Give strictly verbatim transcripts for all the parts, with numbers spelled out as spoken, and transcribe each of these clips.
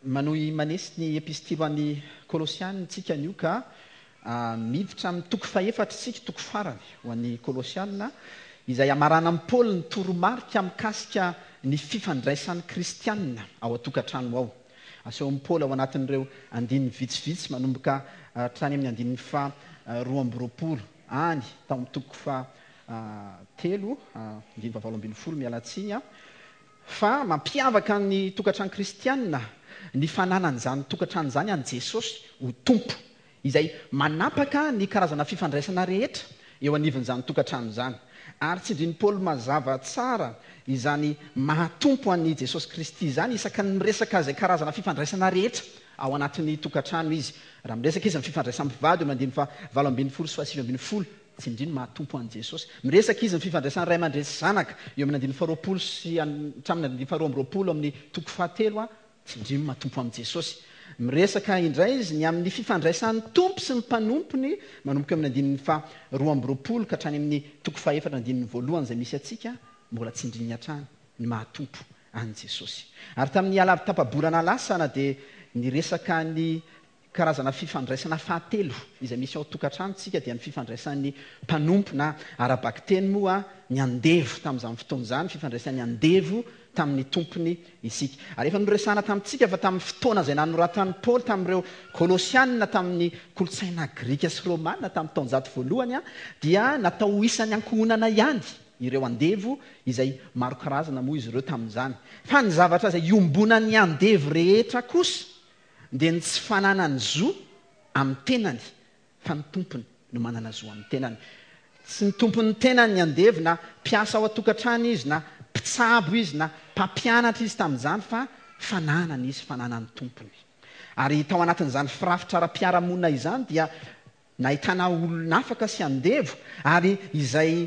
Manohy manesy ny epistily ho an'ny Kolosiana isika anio ka miditra amin'ny toko fahefatra isika, toko farany ho an'ny Kolosiana, izay hamaranan'i Paoly ny toromarika mikasika ny fifandraisan'ny kristianina ao an-tokantrano ao. Asehon'i Paoly ao anatin'ireo andininy vitsivitsy manomboka hatrany amin'ny andininy faha roa amby roapolo any tao amin'ny toko faha telo, andininy fahavalo ambin'ny folo, miala tsiny aho, fa mampiavaka ny tokantrano kristianina ny fananan'izany tokantrano izany an'i Jesosy ho Tompo, izay manapaka ny karazana fifandraisana rehetra eo anivon'izany tokantrano izany. Ary tsindrin'i Paoly mazava tsara izany maha-Tompo an'i Jesosy Kristy izany isaky ny miresaka izay karazana fifandraisana rehetra ao anatin'ny tokantrano izy. Raha miresaka izy amin'ny fifandraisan'ny mpivady eo amin'ny andininy fahavalo ambin'ny folo sy fahasivy ambin'ny folo, tsindriny maha-Tompo an'i Jesosy. Miresaka izy ny fifandraisan'ny ray aman-dreny sy zanaka eo amin'ny andininy faharoapolo sy hatramin'ny andininy faharoa amby roapolo amin'ny toko fahatelo, tsindriny maha-Tompo an'i Jesosy. Miresaka indray izy ny amin'ny fifandraisan'ny Tompo sy ny mpanompony manomboka eo amin'ny andininy faharoa amby roapolo ka hatrany amin'ny toko fahefatra andininy voalohany izay misy antsika, mbola tsindriny hatrany ny maha-Tompo an'i Jesosy. Ary tamin'ny alavo tapa-bolana lasa na dia niresaka ny karazana fifandraisana fahatelo izay misy ao an-tokantrano isika, dia ny fifandraisan'ny mpanompo na ara-bakiteny moa ny andevo tamin'izany fotoana izany, fifandraisan'ny andevo tamin'ny tompony isika. Ary efa noresahana tamintsika fa tamin'ny fotoana izay nanoratan'i Paoly tamin'ireo Kolosianina tamin'ny kolontsaina grika sy romana tamin'ny taonjato voalohany, dia natao ho isan'ny ankohonana ihany ireo andevo izay maro karazana moa izy ireo tamin'izany. Fa ny zavatra izay iombonan'ny andevo rehetra kosa dia ny tsy fananany zo amin'ny tenany, fa ny tompony no manana zo amin'ny tenany. Tsy ny tompon'ny tenany ny andevo, na mpiasa ao an-tokantrano izy, na mpitsabo izy, na mpampianatra izy tamin'izany, fa fananany izy, fananan'ny tompony. Ary tao anatin'izany firafitra ara-piarahamonina izany dia nahitana olona afaka sy andevo, ary izay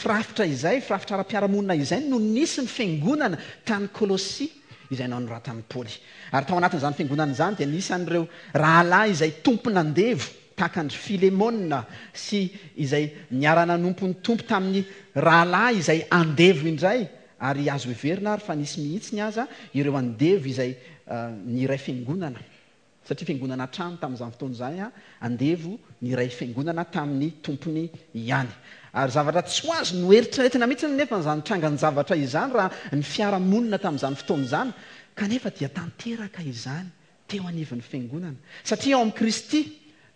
firafitra izay, firafitra ara-piarahamonina izay no nisy ny fiangonana tany Kolosia izay nanoratan'i Paoly. Ary tao anatin'izany fiangonana izany dia nisy an'ireo rahalahy izay tompon'andevo tahaka an-dry Filemona sy izay niara-nanompo ny Tompo tamin'ny rahalahy izay andevo indray, ary azo heverina ary fa nisy mihitsy ny aza ireo andevo izay niray fiangonana, satria fiangonana hatrany tamin'izany fotoana izany, andevo niray fiangonana tamin'ny tompony ihany. Ary zavatra tsy ho azo noeritreretina mihitsy nefa izany trangan-javatra izany raha ny fiarahamonina tamin'izany fotoana izany, kanefa dia tanteraka izany teo anivon'ny fiangonana, satria ao amin'i Kristy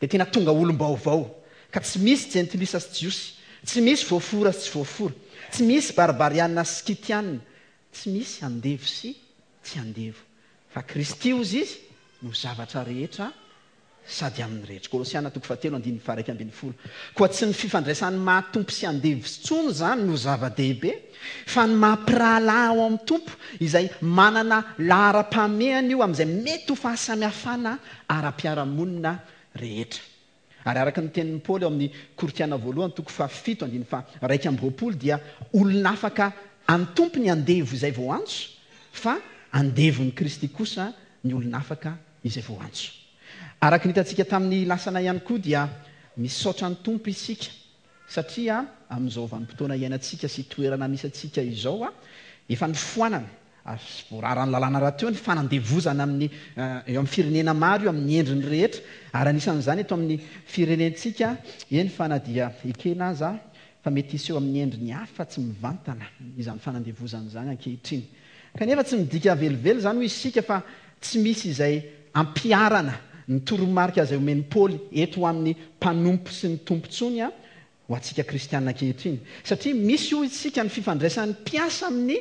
dia tena tonga olom-baovao, ka tsy misy jentilisa sy jiosy, tsy misy voafora sy tsy voafora, tsy misy barbariana sy skitiana, tsy misy andevo sy tsy andevo, fa Kristy hozy izy no zavatra rehetra sady amin'ny rehetra. Kolosiana toko fahatelo andininy faha-iraika ambin'ny folo. Koa tsy ny fifandraisan'ny maha-tompo sy andevo intsony izany no zava-dehibe, fa ny maha-mpirahalahy ao amin'ny Tompo izay manana laharam-pahamehana io amin'izay mety ho fahasamihafana ara-piarahamonina rehetra. Ary araka ny tenin'i Paoly ao amin'ny Korintiana voalohany toko fahafito andininy faha-iraika amby roapolo dia olona afaka an'ny Tompo ny andevo izay voantso, fa andevon'i Kristy kosa ny olona afaka izay voantso. Araka ny hitantsika tamin'ny lasana ihany koa dia misaotra ny Tompo isika, satria amin'izao vanim-potoana iainantsika sy toerana misy antsika izao, efa nifoanana ary voararan'ny lalàna rahateo ny fanandevozana amin'ny, eo amin'ny firenena maro io amin'ny endriny rehetra, ary anisan'izany eto amin'ny firenentsika, eny fa na dia ekena aza fa mety hiseho amin'ny endriny hafa tsy mivantana izany fanandevozana izany ankehitriny. Kanefa tsy midika velively izany hoy isika fa tsy misy izay ampiharana ny toromarika izay omen'i Paoly eto ho amin'ny mpanompo sy ny tompo intsony ho antsika kristiana ankehitriny, satria misy hoy isika ny fifandraisan'ny mpiasa amin'ny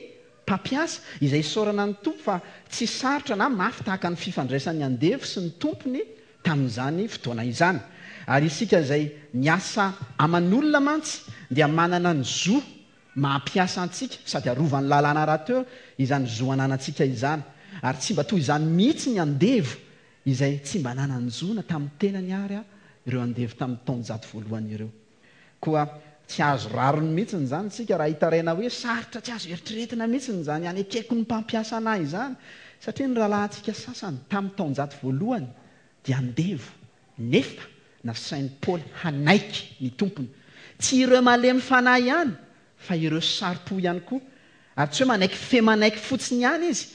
mpampiasa izay isaorana ny Tompo fa tsy sarotra na mafy tahaka ny fifandraisan'ny andevo sy ny tompony tamin'izany fotoana izany. Ary isika izay miasa aman'olona mantsy dia manana ny zo mahampiasa antsika sady arovan'ny lalàna rahateo izany zo ananantsika izany. Ary tsy mba toy izany mihitsy ny andevo izay tsy mba nanan-jo na tamin'ny tenany ary ireo andevo tamin'ny taonjato voalohany ireo. Koa tsy azo rariny mihitsy izany isika raha hitaraina hoe sarotra tsy azo eritreretina mihitsy izany anekeko ny mpampiasa anahy izany, satria ny rahalahintsika sasany tamin'ny taonjato voalohany dia andevo, nefa nasain'i Paoly hanaiky ny tompony. Tsy ireo malemy fanahy ihany fa ireo saro-po ihany koa. Ary tsy hoe manaiky fe manaiky fotsiny ihany izy,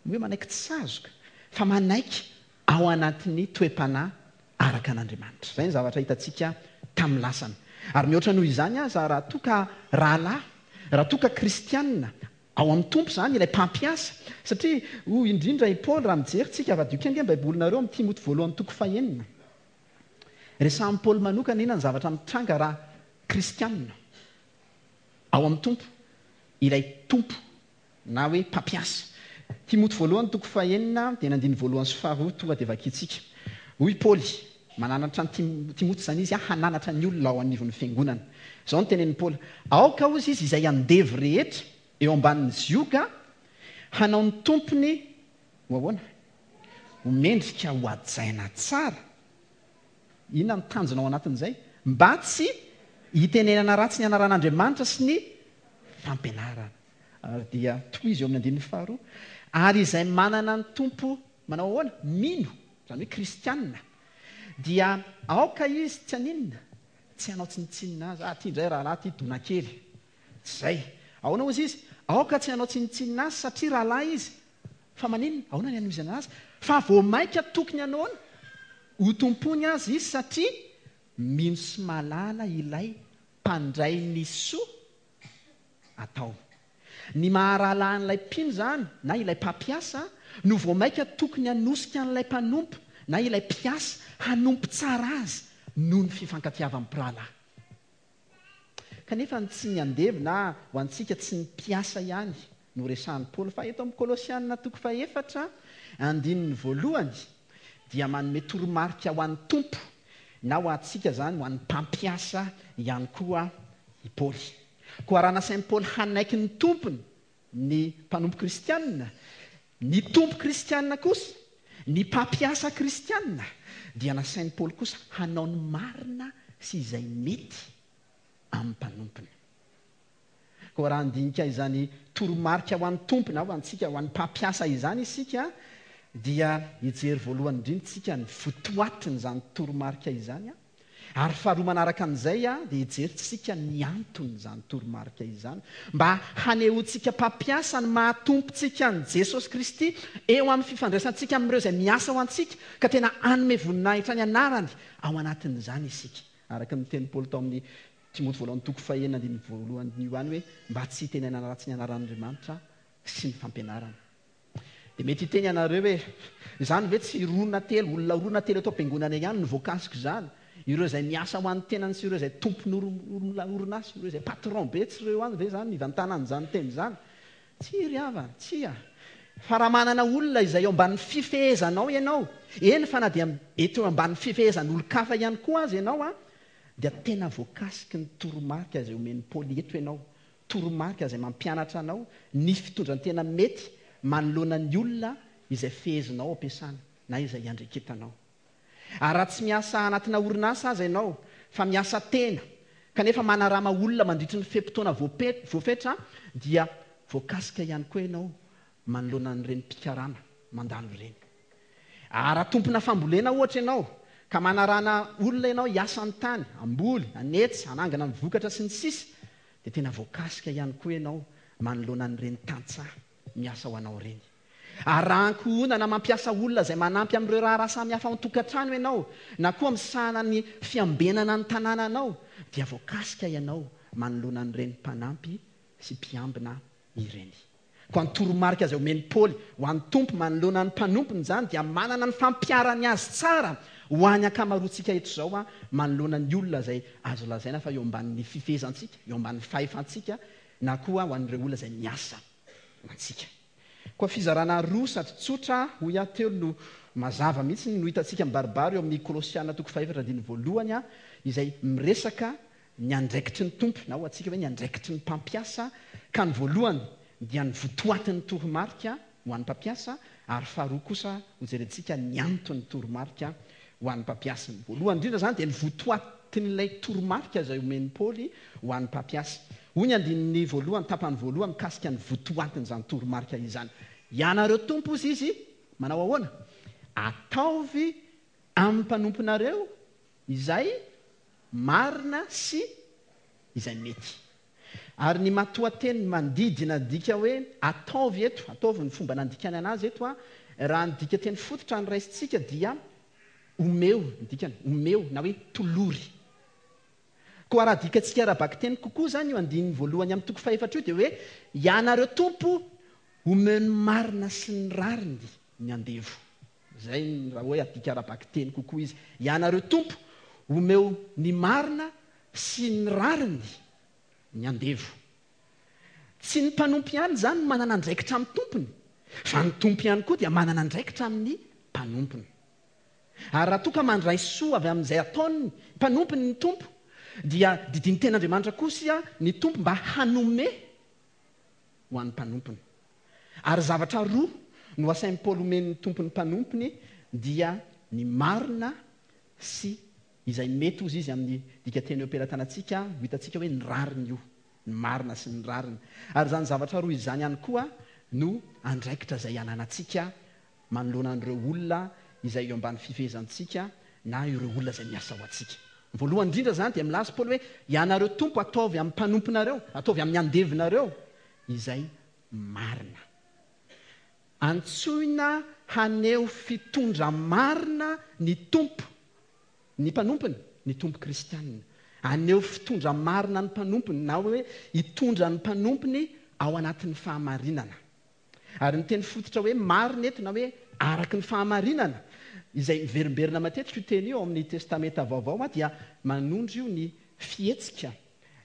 ny hoe manaiky tsy sazoka, fa manaiky ao anatin'ny toe-panahy araka an'Andriamanitra. Izay ny zavatra hitantsika tamin'ny lasana. Ary mihoatra noho izany aza, raha toa ka rahalahy, raha toa ka kristianina ao amin'ny Tompo izany ilay mpampiasa, satria hoy indrindra i Paoly, raha mijery tsika, avadio kely ange ny Baibolinareo amin'ny Timoty voalohany toko fahenina. Resahin'i Paoly manokana inona ny zavatra mitranga raha kristianina ao amin'ny Tompo ilay Tompo na hoe mpampiasa. Timoty voalohany toko fahenina dia ny andininy voalohany sy faharoa tonga dia vakintsika. Hoy Paoly, mananatra an'i Timoty izany izy hananatra ny olona ao anivon'ny fiangonana. Izao no tenenin'i Paoly, aoka hozy izy izay andevo rehetra eo ambanin'ny zioga hanao ny tompony ho ahoana? Ho mendrika ho hajaina tsara. Inona ny tanjona ao anatin'izay? Mba tsy hitenenana ratsy ny anaran'Andriamanitra sy ny fampianarana. Ary dia tohizo eo amin'ny andininy faharoa. Ary izay manana ny Tompo manao ahoana? Mino, izany hoe kristianina, dia aoka izy tsy haninona, tsy hanao tsinontsinona azy. Ah, ty indray rahalahy ty dona kely. Tsy izay. Ahoana hozy izy? Aoka tsy hanao tsinontsinona azy satria rahalahy izy. Fa maninona? Ahoana ny hanohizana azy? Fa vao mainka tokony hanao ahoana? Ho tompony azy izy satria mino sy mahalala ilay mpandray ny soa atao. Ny maha-rahalahin'ilay mpino izany na ilay mpampiasa no vao mainka tokony hanosika an'ilay mpanompo na ilay mpiasa hanompo tsara azy noho ny fifankatiavan'ny mpirahalahy. Kanefa tsy ny andevo na ho antsika tsy ny mpiasa ihany no resahin'i Paoly, fa eto amin'ny Kolosiana toko fahefatra andininy voalohany dia manome toromarika ho an'ny Tompo na ho antsika izany, ho an'ny mpampiasa ihany koa i Paoly. Koa raha nasain'i Paoly hanaiky ny tompony ny mpanompo kristianina, ny tompo kristianina kosa, ny mpampiasa kristianina, dia nasain'i Paoly kosa hanao ny marina sy izay mety amin'ny mpanompony. Koa raha handinika izany toromarika ho an'ny Tompo na ho antsika, ho an'ny mpampiasa izany isika, dia hijery voalohany indrindra isika ny votoatin'izany toromarika izany, ary faharoa manaraka an'izay dia hijery tsika ny anton'izany toromarika izany, mba hanehoantsika mpampiasa ny maha-tompontsika an'i Jesosy Kristy eo amin'ny fifandraisantsika amin'ireo izay miasa ho antsika, ka tena hanome voninahitra ny anarany ao anatin'izany isika. Araka ny tenin'i Paoly tao amin'ny Timoty voalohany toko fahenina andininy voalohany io ihany hoe mba tsy hitenenana ratsy ny anaran'Andriamanitra sy ny fampianarana. Dia mety hiteny ianareo hoe izany ve tsy roa na telo, olona roa na telo eto am-piangonana ihany no voakasika izany? Ireo izay miasa ho an'ny tenany sy ireo izay tompon'orinasa, ireo izay patron be, tsy ireo ihany ve izany nivantanan'izany teny izany? Tsia ry havana, tsia. Fa raha manana olona izay eo ambanin'ny fifehezanao ianao, eny fa na dia eto eo ambanin'ny fifehezan'olon-kafa ihany koa aza ianao, dia tena voakasiky ny toromarika izay omen'i Paoly eto ianao, toromarika izay mampianatra anao ny fitondran-tena mety manoloana ny olona izay fehezinao ampiasana na izay iandreketanao. Ary raha tsy miasa anatina orinasa aza ianao, fa miasa tena, kanefa manarama olona mandritry ny fe-potoana voafetra, dia voakasika ihany koa ianao manoloana an'ireny mpikarama mandalo ireny. Ary raha tompona fambolena ohatra ianao, ka manarana olona ianao hiasa ny tany, hamboly, hanetsy, hanangana ny vokatra sy ny sisa, dia tena voakasika ihany koa ianao manoloana an'ireny tantsaha miasa ho anao ireny. Ary raha ankohonana mampiasa olona izay manampy amin'ireo raharaha samihafa ao an-tokantrano ianao, na koa misahana ny fiambenana ny tanànanao, dia voakasika ianao manoloana an'ireny mpanampy sy mpiambina ireny. Koa ny toromarika izay omen'i Paoly ho an'ny Tompo manoloana ny mpanompony izany dia manana ny fampiharany azy tsara ho an'ny ankamaroantsika eto izao manoloana ny olona izay azo lazaina fa eo ambanin'ny fifehezantsika, eo ambanin'ny fahefantsika, na koa ho an'ireo olona izay miasa ho antsika. Koa fizarana roa sady tsotra, hoy aho teo, no mazava mihitsy no hitantsika mibaribary eo amin'ny Kolosiana toko fahefatra andininy voalohany, izay miresaka ny andraikitry ny Tompo, na ho antsika hoe ny andraikitry ny mpampiasa, ka ny voalohany dia ny votoatin'ny toromarika ho an'ny mpampiasa, ary faharoa kosa hojerentsika ny anton'ny toromarika ho an'ny mpampiasa. Ny voalohany indrindra izany dia ny votoatin'ilay toromarika izay omen'i Paoly ho an'ny mpampiasa. Hoy ny andininy voalohany, tapany voalohany mikasika ny votoatin'izany toromarika izany. Ianareo Tompo, hozy izy, manao ahoana? Ataovy amin'ny mpanomponareo izay marina sy izay mety. Ary ny matoanteny mandidy nadika hoe ataovy eto, ataovy ny fomba nandikany anazy eto, Raha ny dikateny fototra ny raisintsika dia omeo ny dikany, omeo na hoe tolory. Koa raha adikatsika ara-bakiteny kokoa izany io andininy voalohany amin'ny toko fahefatra io dia hoe ianareo tompo omeo ny marina sy ny rariny ny andevo. Izay raha hoe adika ara-bakiteny kokoa izy. Ianareo tompo omeo ny marina sy ny rariny ny andevo. Tsy ny mpanompo ihany izany no manana andraikitra amin'ny tompony, fa ny tompo ihany koa dia manana andraikitra amin'ny mpanompony. Ary raha toa ka mandray soa avy amin'izay ataon'ny mpanompony ny tompo, dia didian'ny tenin'Andriamanitra kosa ny tompo mba hanome ho an'ny mpanompony. Ary zavatra roa no asain'i Paoly omen'ny tompon'ny mpanompony dia ny marina sy izay mety hozy izy amin'ny dikateny eo am-pelatanantsika, ho hitantsika hoe ny rariny io, ny marina sy ny rariny. Ary izany zavatra roa izany ihany koa no andraikitra izay ananantsika manoloana an'ireo olona izay eo ambany fifehezantsika na ireo olona izay miasa ho antsika. Voalohany indrindra izany dia milaza Paoly hoe ianareo tompo ataovy amin'ny mpanomponareo, ataovy amin'ny andevinareo izay marina. Antsoina haneho fitondra marina ny tompo, ny mpanompony, ny tompo kristianina. Haneho fitondra marina ny mpanompony na hoe hitondra ny mpanompony ao anatin'ny fahamarinana. Ary ny teny fototra hoe marina eto na hoe araka ny fahamarinana, izay miverimberina matetika io teny io ao amin'ny Testamenta Vaovao dia manondro io ny fihetsika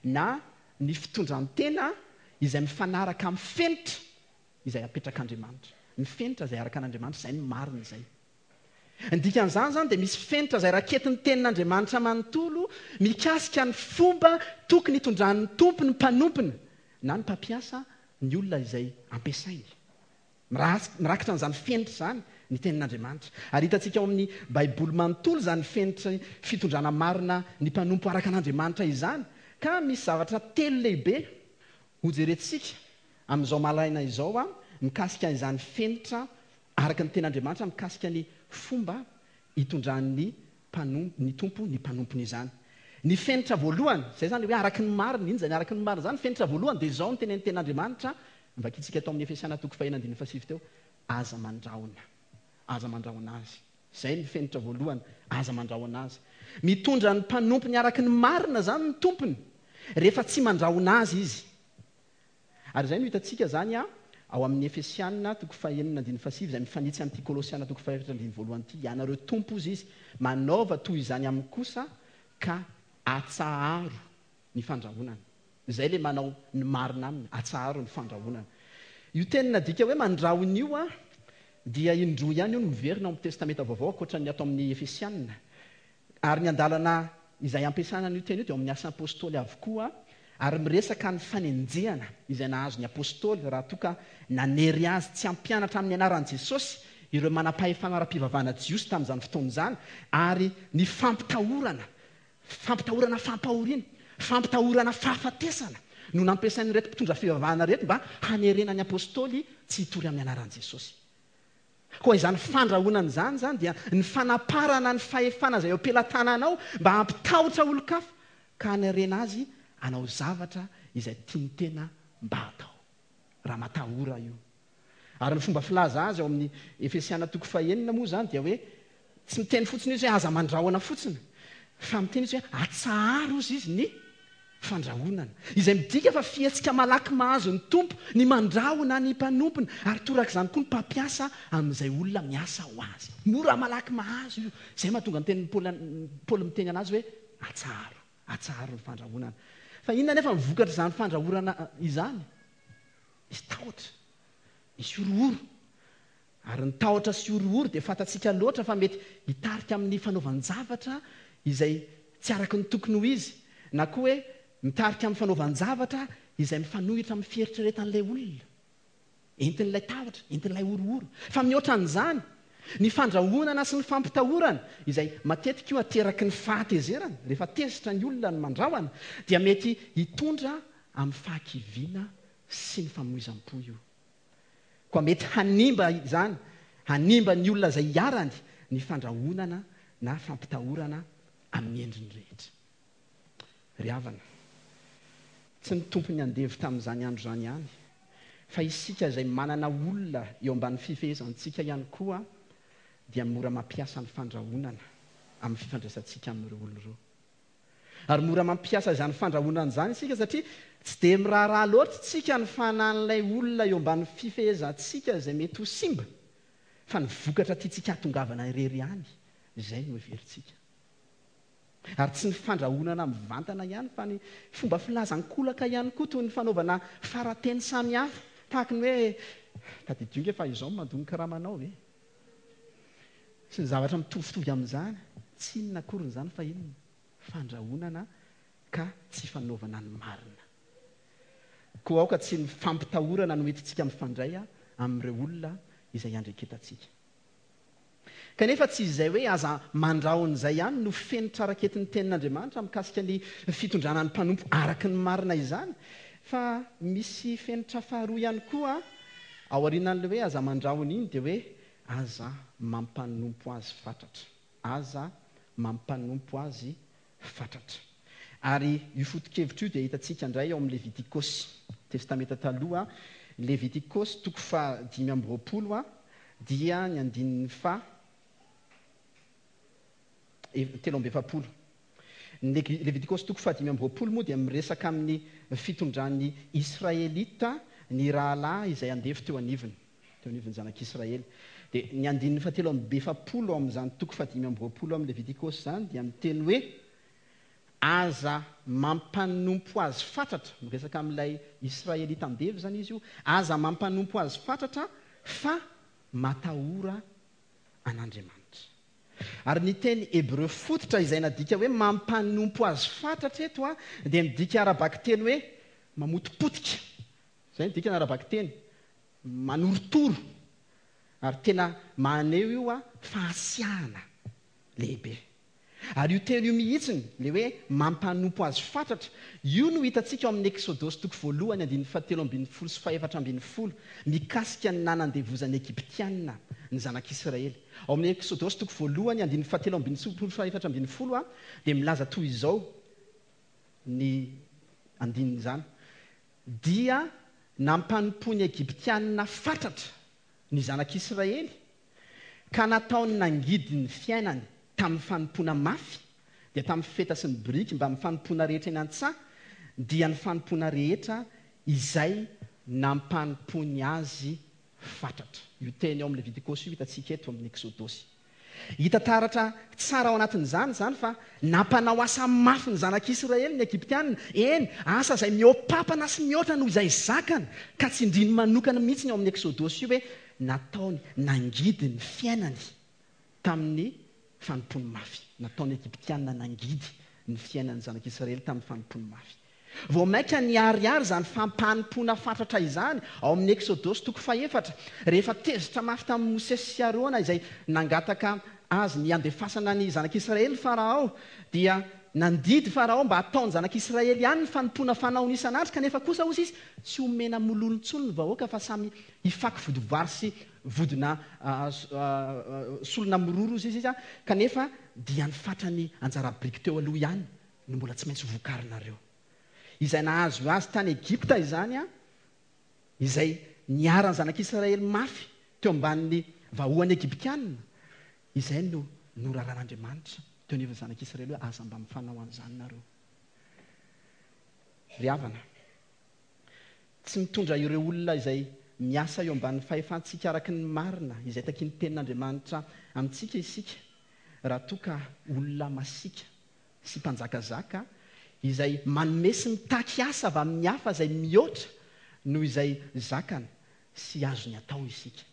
na ny fitondran-tena izay mifanaraka amin'ny fenitra izay apetrak'Andriamanitra. Ny fenitra izay araka an'Andriamanitra, izay no marina izay. Ny dikan'izany izany dia misy fenitra izay raketin'ny tenin'Andriamanitra manontolo mikasika ny fomba tokony hitondran'ny tompo ny mpanompony na ny mpampiasa ny olona izay ampiasainy. Mirakitra an'izany fenitra izany ny tenin'Andriamanitra. Ary hitantsika ao amin'ny Baiboly manontolo izany fenitra fitondrana marina ny mpanompo araka an'Andriamanitra izany. Ka misy zavatra telo lehibe hojerentsika amin'izao maraina izao a mikasika izany fenitra araka ny tenin'Andriamanitra mikasika ny fomba hitondran'ny mpanompo, ny tompo ny mpanompony izany. Ny fenitra voalohany, izay izany hoe araka ny marina, inona izany araka ny marina izany? Fenitra voalohany dia izao ny tenin'ny tenin'Andriamanitra, vakintsika atao amin'ny Efesiana toko fahenina andininy fahasivy teo, aza mandrahona. Aza mandrahona azy. Izay ny fenitra voalohany, aza mandrahona azy. Mitondra ny mpanompony araka ny marina izany ny tompony rehefa tsy mandrahona azy izy. Ary izay no hitantsika izany a ao amin'ny Efesiana toko fahenina andininy fahasivy izay mifanitsy amin'ity Kolosiana toko fahefatra andininy voalohany ity. Ianareo tompo hozy izy, manaova toy izany aminy kosa ka atsaharo ny fandrahonana. Izay ilay manao ny marina aminy, atsaharo ny fandrahonana. Io teny nadika hoe mandrahona io a dia indroa ihany io no miverina ao amin'ny Testamenta Vaovao ankoatra ny ato amin'ny Efesiana. Ary ny andalana izay ampiasana an'io teny io dia ao amin'ny Asa Apôstôly avokoa, ary miresaka ny fanenjehana izay nahazo ny apôstôly raha toa ka nanery azy tsy hampianatra amin'ny anaran'i Jesosy ireo manam-pahefana ara-pivavahana jiosy tamin'izany fotoana izany, ary ny fampitahorana, fampitahorana fampahoriana, fampitahorana fahafatesana no nampiasain'ireto mpitondra fivavahana ireto mba hanerena ny apôstôly tsy hitory amin'ny anaran'i Jesosy. Koa izany fandrahonana izany izany dia ny fanaparana ny fahefana izay eo am-pelatananao mba hampitahotra olon-kafa ka hanerena azy hanao zavatra izay tiany tena mba hatao. Raha matahora io. Ary ny fomba filaza azy ao amin'ny Efesiana toko fahenina moa izany dia hoe tsy miteny fotsiny izy hoe aza mandrahona fotsiny, fa miteny izy hoe atsaharo izy izy ny fandrahonana. Izay midika fa fihetsika malaky mahazo ny tompo ny mandrahona ny mpanompony, ary torak'izany koa ny mpampiasa amin'izay olona miasa ho azy. Mora malaky mahazo io. Izay mahatonga ny tenin'i Paoly, Paoly miteny anazy hoe atsaharo, atsaharo ny fandrahonana. Fa inona nefa ny vokatr'izany fandrahonana izany? Misy tahotra, misy horohoro. Ary ny tahotra sy horohoro dia fantatsika loatra fa mety hitarika amin'ny fanaovan-javatra izay tsy araka ny tokony ho izy, na koa hoe mitarika amin'ny fanaovan-javatra izay mifanohitra amin'ny fieritreretan'ilay olona. Entin'ilay tahotra, entin'ilay horohoro. Fa mihoatra an'izany, ny fandrahonana sy ny fampitahorana, izay matetika io ateraky ny fahatezerana, rehefa tezitra ny olona ny mandrahona, dia mety hitondra amin'ny fahakiviana sy ny famoizam-po io. Koa mety hanimba izany, hanimba ny olona izay iharany ny fandrahonana na fampitahorana amin'ny endriny rehetra. Ry havana, tsy ny tompon'ny andevo tamin'izany andro izany ihany, Fa isika izay manana olona eo ambanin'ny fifehezantsika ihany koa dia mora mampiasa ny fandrahonana amin'ny fifandraisantsika amin'ireo olona ireo. Ary mora mampiasa izany fandrahonana izany isika satria tsy dia miraharaha loatra isika ny fanan'ilay olona eo ambanin'ny fifehezantsika izay mety ho simba, fa ny vokatra tiantsika hahatongavana irery ihany izay no heverintsika. Ary tsy ny fandrahonana mivantana ihany fa ny fomba filazan-kolaka ihany koa, toy ny fanaovana farateny samihafa, tahaka ny hoe tadidio nge fa izao no mandoa ny karamanao ve? Sy ny zavatra mitovitovy amin'izany. Tsy inona akory izany fa inona? Fandrahonana ka tsy fanaovana ny marina. Koa aoka tsy ny fampitahorana no entintsika mifandray amin'ireo olona izay iandraiketantsika. Kanefa tsy izay hoe aza mandrahona izay ihany no fenitra raketin'ny tenin'Andriamanitra mikasika ny fitondrana ny mpanompo araka ny marina izany, fa misy fenitra faharoa ihany koa ao aorianan'ilay hoe aza mandrahona iny, dia hoe aza mampanompo azy fatratra. Aza mampanompo azy fatratra. Ary io foto-kevitra io dia hitantsika indray ao amin'ny Levitikosy, Testamenta Taloha, Levitikosy toko fahadimy amby roapolo dia ny andininy faha telo amby efapolo. Ny Levitikosy toko fahadimy amby roapolo moa dia miresaka amin'ny fitondran'ny Israelita ny rahalahy izay andevo teo anivony, teo anivon'ny zanak'Israely. Dia ny andininy fahatelo amby efapolo ao amin'izany toko fahadimy amby roapolo amin'ny Levitikosy izany dia miteny hoe aza mampanompo azy fatratra, miresaka amin'ilay Israelita andevo izany izy io, aza mampanompo azy fatratra fa matahora an'Andriamanitra. Ary ny teny hebreo fototra izay nadika hoe mampanompo azy fatratra eto a dia midika ara-bakiteny hoe mamotipotika. Izay ny dikany ara-bakiteny, manorotoro. Ary tena maneho io a fahasiahana lehibe. Ary io teny io mihitsiny, le hoe mampanompo azy fatratra, io no hitantsika ao amin'ny Eksodosy toko voalohany andininy fahatelo ambin'ny folo sy fahefatra ambin'ny folo, mikasika ny nanandevozan'ny Egyptiana ny zanak'Israely. Ao amin'ny Eksodosy toko voalohany andininy fahatelo ambin'ny folo sy fahefatra ambin'ny folo a dia milaza toy izao ny andinin'izany: dia nampanompoan'ny Egyptiana fatratra ny zanak'Israely ka nataony nangidy ny fiainany tamin'ny fanompoana mafy, dia tamin'ny feta sy ny biriky mba amin'ny fanompoana rehetra eny an-tsaha, dia ny fanompoana rehetra izay nampanompoany azy fatratra. Io teny ao amin'ny Levitikosy io hitantsika eto amin'ny Eksodosy. Hita taratra tsara ao anatin'izany izany fa nampanao asa mafy ny zanak'Israely ny Egyptiana, eny, asa izay mihoa-papana sy mihoatra noho izay zakany, ka tsindriny manokana mihitsy ny ao amin'ny Eksodosy io hoe nataony nangidy ny fiainany tamin'ny fanompoany mafy. Nataony Egyptiana nangidy ny fiainan'ny zanak'Israely tamin'ny fanompoany mafy. Vao mainka niharihary izany fampanompoana fatratra izany ao amin'ny Eksodosy toko fahefatra, rehefa tezitra mafy tamin'i Mosesy sy Arona izay nangataka azy ny handefasana ny zanak'Israely Farao, dia nandidy Farao mba hataon'ny zanak'Israely ihany ny fanompoana fanaony isan'andro, kanefa kosa hozy izy tsy homena mololo intsony ny vahoaka fa samy hifaky vodivary sy vodina solona miroro izy izy, kanefa dia ny fatrany anjara biriky teo aloha ihany no mbola tsy maintsy vokarinareo. Izay nahazo azy tany Egypta izany a, izay niharan'ny zanak'Israely mafy teo ambanin'ny vahoan'ny Egyptiana, izay no noraran'Andriamanitra teo anivon'ny zanak'Israely hoe aza mba mifanao an'izany nareo. Ry havana, tsy mitondra ireo olona izay miasa eo ambanin'ny fahefantsika araka ny marina izay takian'ny tenin'Andriamanitra amintsika isika, raha toa ka olona masiaka sy mpanjakazaka izay manome sy mitaky asa avy amin'ny hafa izay mihoatra noho izay zakany sy azony atao isika.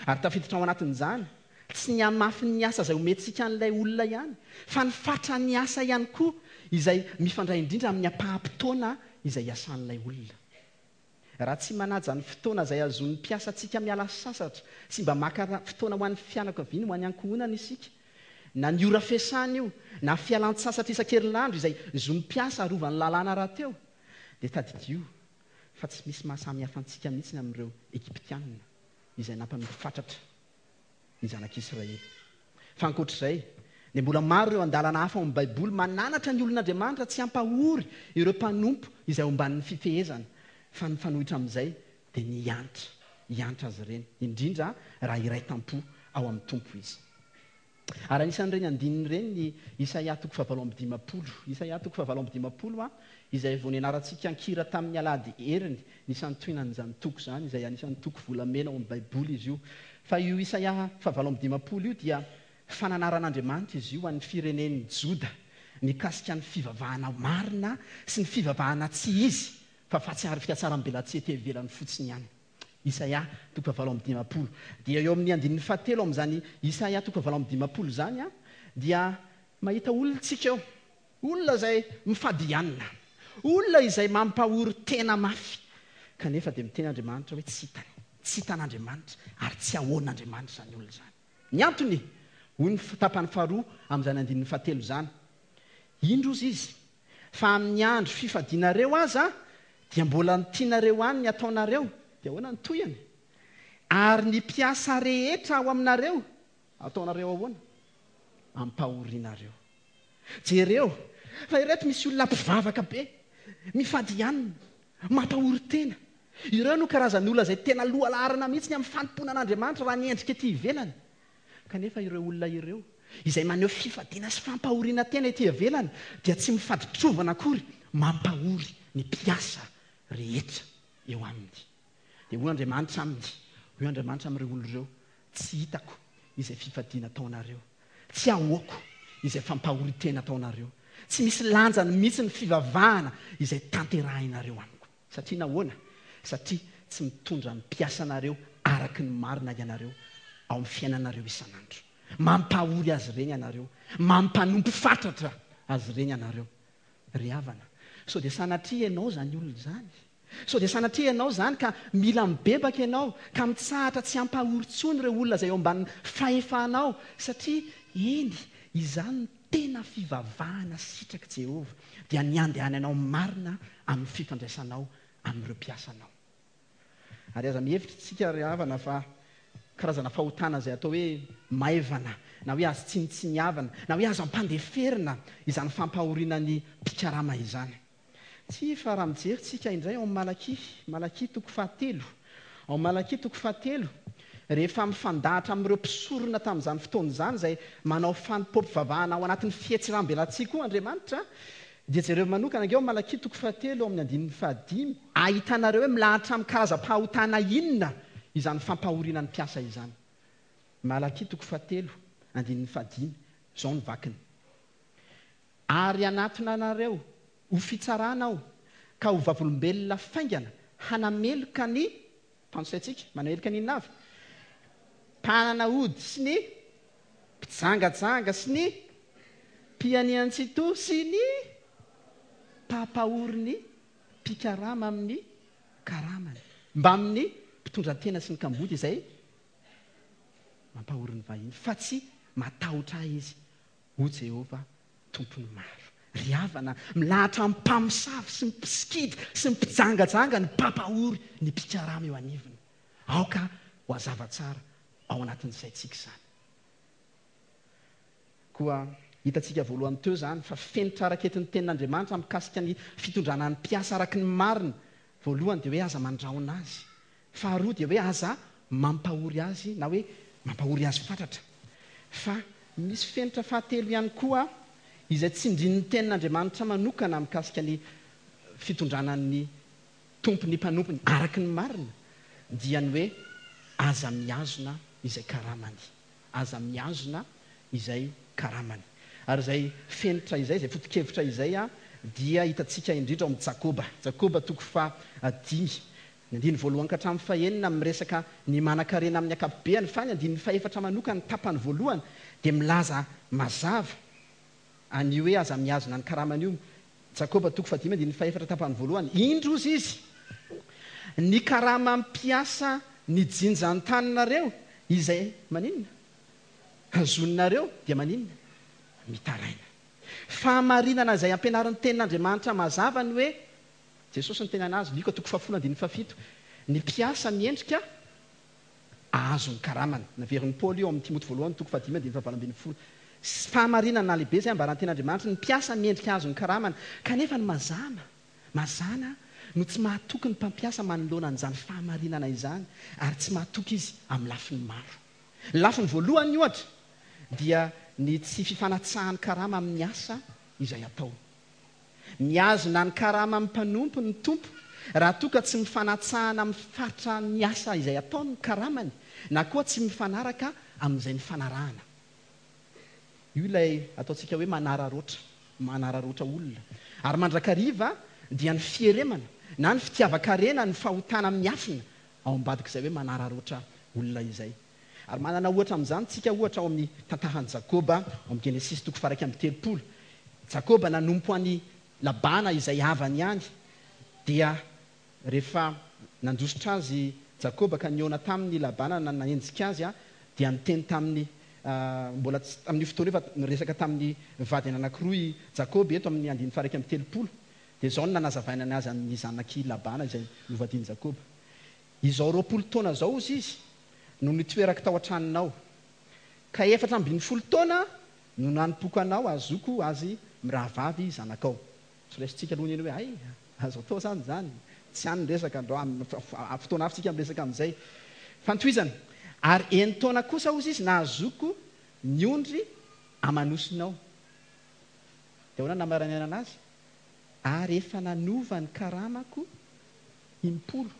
Ary tafiditra ao anatin'izany, tsy ny hamafin'ny asa izay omentsika an'ilay olona ihany, fa ny fatran'ny asa ihany koa izay mifandray indrindra amin'ny ampaham-potoana izay iasan'ilay olona. Raha tsy manaja ny fotoana izay azon'ny mpiasantsika miala sasatra sy mba maka fotoana ho an'ny fianakaviany, ho an'ny ankohonana isika, na ny ora fiasana io, na fialan-tsasatra isan-kerinandro izay zon'ny mpiasa arovan'ny lalàna rahateo, dia tadidio fa tsy misy mahasamihafa antsika mihitsy amin'ireo Egyptiana izay nampanompo fatratra ny zanak'Israely. Fa ankoatr'izay, dia mbola maro ireo andalana hafa ao amin'ny Baiboly mananatra ny olon'Andriamanitra tsy hampahory ireo mpanompo izay omban'ny fifehezana, fa ny mifanohitra amin'izay dia ny hiantra, hiantra azy ireny, indrindra raha iray tampo ao amin'ny Tompo izy. Ary anisan'ireny andininy ireny ny Isaia toko fahavalo amby dimampolo. Isaia toko fahavalo amby dimampolo, izay vao nianarantsika an-kira tamin'ny alahady heriny, nisan'ny tohinan'izany toko izany, izay anisan'ny toko volamena ao amin'ny Baiboly izy io. Fa io Isaia fahavalo amby dimampolo io dia fananaran'Andriamanitra izy io an'ny firenen'ny Joda, mikasika ny fivavahana marina sy ny fivavahana tsy izy, fa fahatsiaro fiatsaram-belatsihy ety ivelany fotsiny ihany. Isaia toko fahavalo amby dimampolo. Dia eo amin'ny andininy fahatelo amin'izany Isaia toko fahavalo amby dimampolo izany, dia mahita olona tsika eo. Olona izay mifady hanina. Olona izay mampahory tena mafy. Kanefa dia miteny Andriamanitra hoe tsy hitany. Tsy hitan'Andriamanitra ary tsy ahoan'Andriamanitra izany olona izany. Ny antony, hoy ny tapany faharoa amin'izany andininy fahatelo izany. Indro ozy izy, fa amin'ny andro fifadianareo aza dia mbola ny tianareo any ny ataonareo. Dia ahoana ny tohiny? Ary ny mpiasa rehetra ao aminareo, ataonareo ahoana? Ampahorinareo. Jereo, fa ireto misy olona mpivavaka be, mifady hanina, mampahory tena. Ireo no karazan'olona izay tena lohalaharana mihitsy ny amin'ny fanompoana an'Andriamanitra raha ny endrika ety ivelany. Kanefa ireo olona ireo, izay maneho fifadiana sy fampahoriana tena ety ivelany, dia tsy mifaditrovana akory, mampahory ny mpiasa rehetra eo aminy. Dia hoy Andriamanitra aminy, hoy Andriamanitra amin'ireo olona ireo, tsy hitako izay fifadiana ataonareo, tsy ahoako izay fampahorin-tena ataonareo, tsy misy lanjany mihitsy ny fivavahana izay tanterahinareo amiko. Satria nahoana? Satria tsy mitondra ny mpiasanareo araky ny marina ianareo ao amin'ny fiainanareo isan'andro. Mampahory azy ireny ianareo, mampanompo fatratra azy ireny ianareo. Ry havana, sao dia sanatria ianao izany olona izany? Sao dia sanatria ianao izany ka mila mibebaka ianao, ka mitsahatra tsy hampahory intsony ireo olona izay eo ambanin'ny fahefanao, satria eny, izany no tena fivavahana sitrak'i Jehovah, dia ny andehananao marina amin'ny fifandraisanao amin'ireo mpiasanao. Ary aza mihevitra isika ry havana fa karazana fahotana izay atao hoe maivana, na hoe azo tsinontsiniavana, na hoe azo ampandeferina izany fampahoriana ny mpikarama izany. Tsy fa raha mijery tsika indray ao amin'ny Malakia, Malakia toko fahatelo. Ao amin'ny Malakia toko fahatelo, rehefa mifandahatra amin'ireo mpisorona tamin'izany fotoana izany izay manao fanompoam-pivavahana ao anatin'ny fihetsiram-belatsihy koa Andriamanitra, dia jereo manokana ange ao amin'ny Malakia toko fahatelo ao amin'ny andininy fahadimy, ahitanareo hoe milahatra amin'ny karazam-pahotana inona izany fampahoriana ny mpiasa izany. Malakia toko fahatelo, andininy fahadimy, izao ny vakiny. Ary hanatona anareo ho fitsarana aho, ka ho vavolombelona faingana hanameloka ny mpanosaintsika, manameloka ny inona avy? Mpanana ody sy ny mpijangajanga sy ny mpianian-tsitoha sy ny mpampahory ny mpikarama amin'ny karamany, mbamin'ny mpitondra tena sy ny kamboty izay mampahory ny vahiny, fa tsy matahotra ahy izy, hoy Jehovah Tompon'ny maro. Ry havana, milahatra amin'ny mpamosavy sy ny mpisikidy sy ny mpijangajanga ny mpampahory ny mpikarama eo anivony. Aoka ho hazava tsara ao anatin'ny saintsika izany. Koa hitantsika voalohany teo izany fa fenitra araketin'ny tenin'Andriamanitra mikasika ny fitondrana ny mpiasa araky ny marina. Voalohany dia hoe aza mandrahona azy. Faharoa dia hoe aza mampahory azy na hoe mampahory azy fatratra. Fa misy fenitra fahatelo ihany koa izay tsindrin'ny tenin'Andriamanitra manokana mikasika ny fitondrana ny tompony mpanompony araky ny marina, dia ny hoe aza mihazona izay karamany. Aza mihazona izay karamany. Ary izay fenitra izay, izay foto-kevitra izay, dia hitantsika indrindra ao amin'ny Jakoba. Jakoba toko fahadimy. Ny andininy voalohany ka hatramin'ny fahenina miresaka ny manan-karena amin'ny ankapobeny, fa ny andininy fahefatra manokana ny tapany voalohany dia milaza mazava an'io hoe aza mihazona ny karamany io. Jakoba toko fahadimy andininy fahefatra tapany voalohany. Indro ozy izy, ny karama mpiasa ny jinjan-taninareo izay maninona? Hazoninareo dia maninona? Mitaraina. Fahamarinana izay ampianarin'ny tenin'Andriamanitra mazava ny hoe Jesosy ny teny anazy, Lioka toko fahafolo andininy fahafito, ny mpiasa miendrika ahazo ny karamany. Naverin'i Paoly io amin'ny Timoty voalohany toko fahadimy andininy fahavalo ambin'ny folo. Fahamarinana lehibe izay ambaran'ny tenin'Andriamanitra, ny mpiasa miendrika ahazo ny karamany. Kanefa ny mazàna, mazàna no tsy mahatoky ny mpampiasa manoloana an'izany fahamarinana izany, ary tsy mahatoky izy amin'ny lafiny maro. Ny lafiny voalohany ohatra dia ny tsy fifanatsahan'ny karama amin'ny asa izay atao. Mihazona ny karama amin'ny mpanompo ny tompo raha toa ka tsy mifanatsahana amin'ny faritra ny asa izay atao ny karamany, na koa tsy mifanaraka amin'izay nifanarahana. Io ilay ataontsika hoe manararoatra, manararoatra olona. Ary mandrakariva dia ny fieremana na ny fitiavan-karena ny fahotana miafina ao ambadik'izay hoe manararoatra olona izay. Ary manana ohatra amin'izany tsika ohatra ao amin'ny tantaran'i Jakoba, ao amin'ny Genesisy toko faha iraika amby telopolo. Jakoba nanompo an'i Labana izay havany ihany, dia rehefa nandositra azy Jakoba ka nihaona taminy Labana na nanenjika azy, dia niteny taminy, mbola tsy tamin'io fotoana io fa niresaka tamin'ny vadiny anankiroa i Jakoba eto amin'ny andininy faha iraika amby telopolo. Dia izao no nanazavaina azy amin'ny zanak'i Labana izay novadian'i Jakoba. Izao roapolo taona izao ozy izy no nitoerako tao an-tranonao, ka efatra ambin'ny folo taona no nanompoako anao azoko azy mirahavavy zanakao. Tsy raisintsika aloha ny eny hoe ay, azo atao zany izany, tsy any ny resaka androany, fotoana hafa tsika miresaka amin'izay. Fa nitohizana, ary enin-taona kosa ozy izy nahazoko ny ondry amanosinao. Dia ahoana namaranana azy? Ary efa nanova ny karamako impolo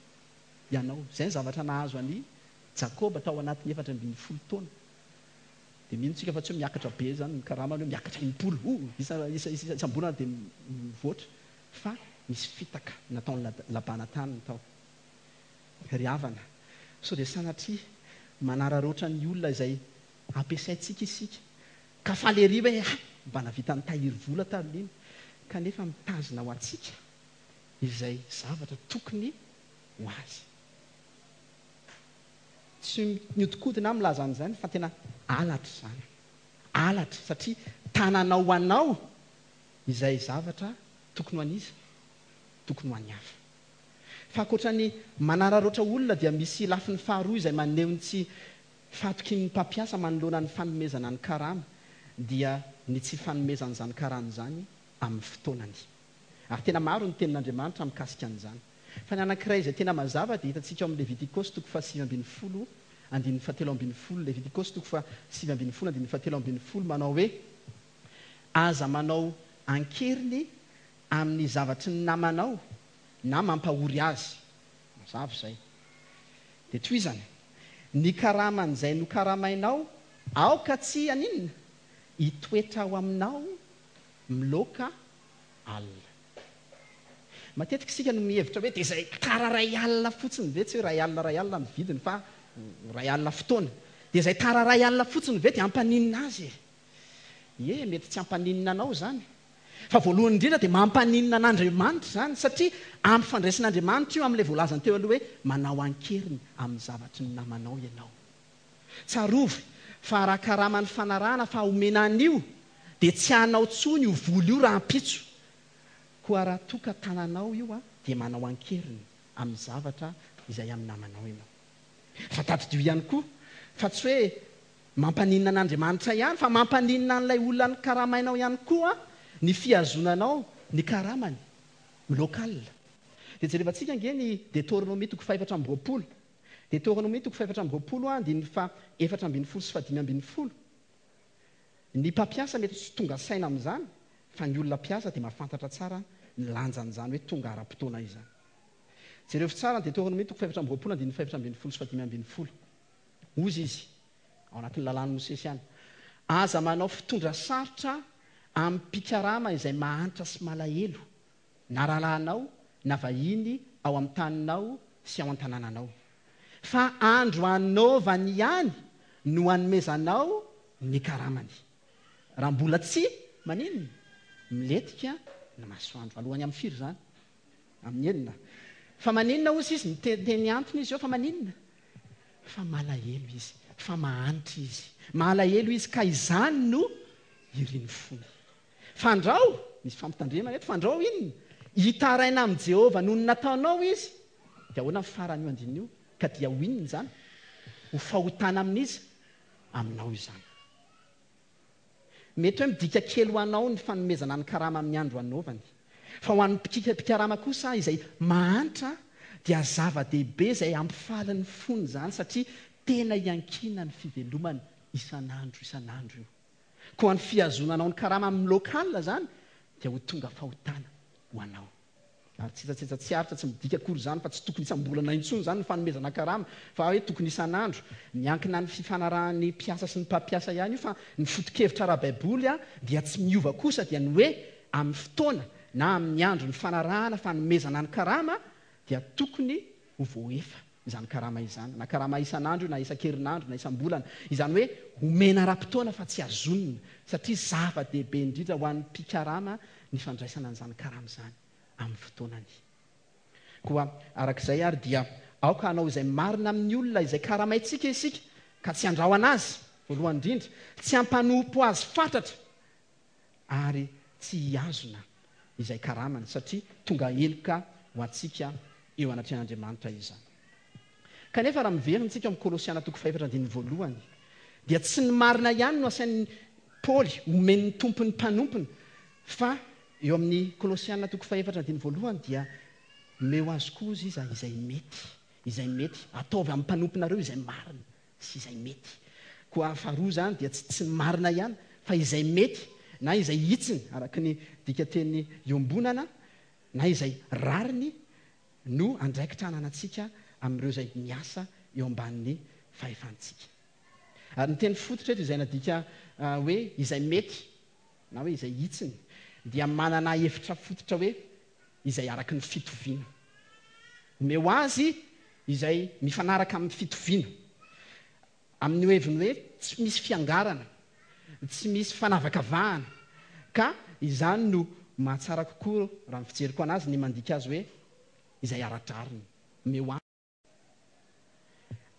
ianao. Izay ny zavatra nahazo an'i Jakoba tao anatin'ny efatra ambin'ny folo taona. Dia mino tsika fa tsy hoe miakatra be zany ny karamany, hoe miakatra impolo, oh, isa, isa, isa, isam-bolana dia mivoatra, fa misy fitaka nataon'ny Labana taminy tao. Ry havana, sao dia sanatria manararoatra ny olona izay ampiasaintsika isika, ka faly ery hoe ah, mba navita nitahiry vola tamin'iny, kanefa mitazona ho antsika izay zavatra tokony ho azy. Tsy miodikodina aho milaza an'izany fa tena alatra izany. Alatra satria tananao ho anao izay zavatra tokony ho an'iza, tokony ho an'ny hafa. Fa ankoatra ny manararoatra olona dia misy lafiny faharoa izay maneho ny tsy fahatokian'ny mpampiasa manoloana ny fanomezana ny karama, dia ny tsy fanomezan'izany karama izany amin'ny fotoanany. Ary tena maro ny tenin'Andriamanitra mikasika an'izany. Fa ny anankiray izay tena mazava dia hitantsika ao amin'ny Levitikosy toko fahasivy ambin'ny folo andininy fahatelo ambin'ny folo. Levitikosy toko fahasivy ambin'ny folo andininy fahatelo ambin'ny folo manao hoe aza manao ankeriny amin'ny zavatry ny namanao na mampahory azy. Mazava izay. Dia tohizany, ny karaman'izay nokaramainao aoka tsy haninona, hitoetra ao aminao miloaka alina. Matetika isika no mihevitra hoe dia izay tara ray alina fotsiny ve, tsy hoe ray alina ray alina ny vidiny fa ray alina fotoana, dia izay tara ray alina fotsiny ve dia hampaninona azy e? Ie, mety tsy hampaninona anao izany. Fa voalohany indrindra dia mampaninona an'Andriamanitra izany, satria ampifandraisin'Andriamanitra io amin'ilay voalazany teo aloha hoe manao ankeriny amin'ny zavatry ny namanao ianao. Tsarovy fa raha karaman'ny fanarahana fa omena an'io dia tsy hanao tsony io vola io rahampitso. Koa raha toa ka tananao io a, dia manao ankeriny amin'ny zavatra izay amin'ny namanao ianao. Fa tadidio ihany koa fa tsy hoe mampaninona an'Andriamanitra ihany, fa mampaninona an'ilay olona ny karamainao ihany koa ny fihazonanao ny karamany local. Dia jerevantsika ange ny Deutéronome toko fahefatra amby roapolo. Deutéronome toko fahefatra amby roapolo andininy faha efatra ambin'ny folo sy fahadimy ambin'ny folo. Ny mpampiasa mety tsy tonga saina amin'izany, fa ny olona mpiasa dia mahafantatra tsara ny lanjan'izany hoe tonga ara-potoana izany. Jereo tsara ny Deutéronome toko fahefatra amby roapolo andininy fahefatra ambin'ny folo sy fahadimy ambin'ny folo. Hozy izy ao anatin'ny lalàn'i Mosesy ihany. Aza manao fitondra sarotra amin'ny mpikarama izay mahantra sy malahelo, na rahalahinao na vahiny ao amin'ny taninao sy ao an-tanànanao. Fa andro anaovany ihany no anomezanao ny karamany. Raha mbola tsy maninona, milentika ny masoandro. Alohany amin'ny firy izany? Amin'ny enina. Fa maninona hozy izy? Miteny antony izy eo fa maninona? Fa malahelo izy, fa mahantra izy. Malahelo izy ka izany no irin'ny fony. Fandrao, misy fampitandremana eto, fandrao inona? Hitaraina amin'i Jehovah noho ny nataonao izy. Dia ahoana ny faran'io andininy io? Ka dia ho inona izany? Ho fahotana amin'iza? Aminao izany. Mety hoe midika kely ho anao ny fanomezana ny karama amin'ny andro anaovany. Fa ho an'ny mpikarama kosa izay mahantra dia zava-dehibe izay hampifaly ny fony izany, satria tena iankinan'ny fivelomany isan'andro isan'andro io. Koa ny fihazonanao ny karama amin'ny local izany dia ho tonga fahotana ho anao. Ary tsetsatsetsa tsy aritra, tsy midika akory izany fa tsy tokony isam-bolana intsony izany ny fanomezana karama, fa hoe tokony isan'andro. Miankina ny fifanarahan'ny mpiasa sy ny mpampiasa ihany io, fa ny foto-kevitra ara-baiboly dia tsy miova kosa, dia ny hoe amin'ny fotoana na amin'ny andro ny fanarahana fanomezana ny karama dia tokony ho voaefa izany karama izany, na karama isan'andro na isan-kerinandro na isam-bolana. Izany hoe omena ara-potoana fa tsy azonina, satria zava-dehibe indrindra ho an'ny mpikarama ny fandraisana an'izany karama izany amin'ny fotoanany. Koa arak'izay ary dia aoka hanao izay marina amin'ny olona izay karamaintsika isika, ka tsy handrahona azy voalohany indrindra, tsy hampanompo azy fatratra, ary tsy hihazona izay karamany, satria tonga heloka ho antsika eo anatrehan'Andriamanitra izany. Kanefa raha miverina isika amin'ny Kolosiana toko fahefatra andininy voalohany, dia tsy ny marina ihany no asain'ny Paoly omen'ny tompon'ny mpanompony, fa eo amin'ny Kolosiana toko fahefatra andininy voalohany dia omeo azy koa izy izay mety, izay mety, ataovy amin'ny mpanomponareo izay marina sy izay mety. Koa faharoa izany dia tsy, tsy ny marina ihany fa izay mety na izay hitsiny araka ny dikateny iombonana na izay rariny no andraikitra ananantsika amin'ireo izay miasa eo ambanin'ny fahefantsika. Ary ny teny fototra eto izay nadika hoe izay mety na hoe izay hitsiny dia manana hevitra fototra hoe izay araka ny fitoviana. Omeo azy izay mifanaraka amin'ny fitoviana. Amin'ny heviny hoe tsy misy fiangarana, tsy misy fanavakavahana, ka izany no mahatsara kokoa raha ny fijeriko anazy ny mandika azy hoe izay ara-drariny. Omeo azy.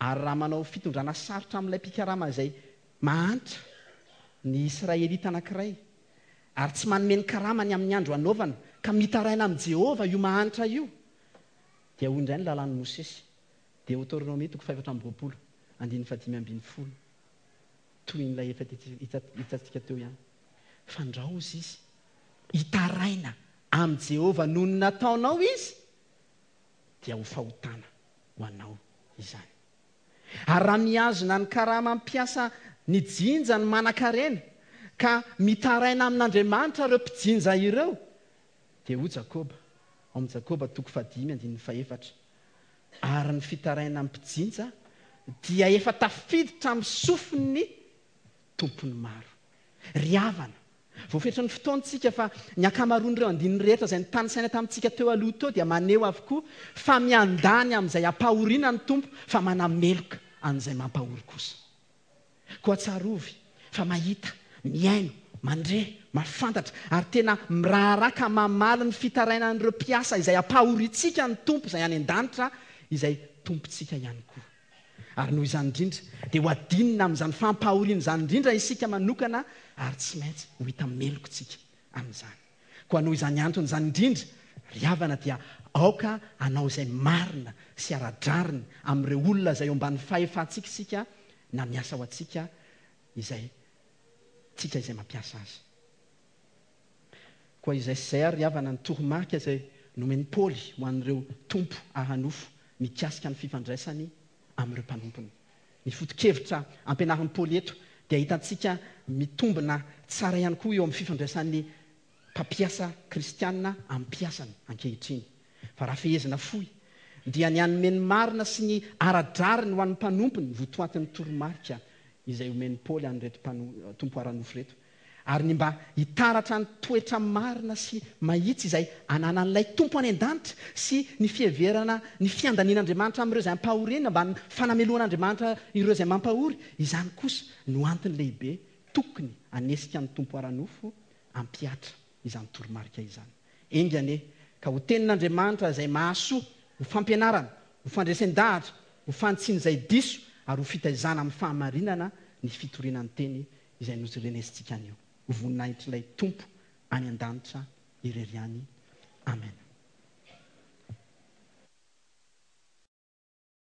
Ary raha manao fitondrana sarotra amin'ilay mpikarama izay mahantra ny Israelita anankiray, ary tsy manome ny karamany amin'ny andro anaovana, ka mitaraina amin'i Jehovah io mahantra io, dia hoy indray ny lalàn'i Mosesy, Deoteronomia toko fahefatra amby roapolo, andininy fahadimy ambin'ny folo, toy ilay efa hitantsika teo ihany. Fandraozy izy hitaraina amin'i Jehovah noho ny nataonao izy, dia ho fahotana ho anao izany. Ary raha mihazona ny karama mpiasa ny jinja ny manan-karena, ka mitaraina amin'Andriamanitra ireo mpijinja ireo, dia hoy Jakoba, ao amin'i Jakoba toko fahadimy andininy fahefatra, ary ny fitaraina amin'ny mpijinja dia efa tafiditra amin'ny sofin'ny tompon'ny maro. Ry havana, voafetra ny fotoantsika fa ny ankamaroan'ireo andininy rehetra izay nitanisaina tamintsika teo aloha teo dia maneho avokoa fa miandany amin'izay ampahoriana ny Tompo, fa manameloka an'izay mampahory kosa. Koa tsarovy fa mahita, mihaino, mandre, mahafantatra ary tena miraharaha ka mamaly ny fitarainan'ireo mpiasa izay ampahorintsika ny Tompo izay any an-danitra, izay tompontsika ihany koa. Ary noho izany indrindra dia ho adinina amin'izany fampahoriana izany indrindra isika manokana, ary tsy maintsy ho hita melokontsika amin'izany. Koa noho izany antony izany indrindra, ry havana, dia aoka hanao izay marina sy ara-drariny amin'ireo olona izay eo ambanin'ny fahefantsika isika, na miasa ho antsika izay tsika izay mampiasa azy. Koa izay sy izay ary, ry havana, ny toromarika izay nomen'i Paoly ho an'ireo tompo ara-nofo mikasika ny fifandraisany amin'ireo mpanompony. Ny foto-kevitra ampianarin'i Paoly eto dia hitantsika mitombina tsara ihany koa eo amin'ny fifandraisan'ny mpampiasa kristianina amin'ny mpiasany ankehitriny. Fa raha fehezina fohy dia ny hanome ny marina sy ny ara-drariny ho an'ny mpanompony votoatin'ny toromarika izay omen'i Paoly an'ireto mpano-, tompo ara-nofo ireto, ary ny mba hitaratra ny toetra marina sy mahitsy izay ananan'ilay Tompo any an-danitra sy ny fiheverana ny fiandanian'Andriamanitra amin'ireo izay ampahoriana mba ny fanamelohan'Andriamanitra ireo izay mampahory. Izany kosa no antony lehibe tokony hanesika ny Tompo ara-nofo hampihatra izany toromarika izany. Enga anie ka ho tenin'Andriamanitra izay mahasoa ho fampianarana, ho fandresen-dahatra, ho fanitsiana izay diso ary ho fitaizana amin'ny fahamarinana ny fitoriana ny teny izay norenesintsika anio. Ho voninahitr'ilay Tompo any an-danitra irery ihany. Amen.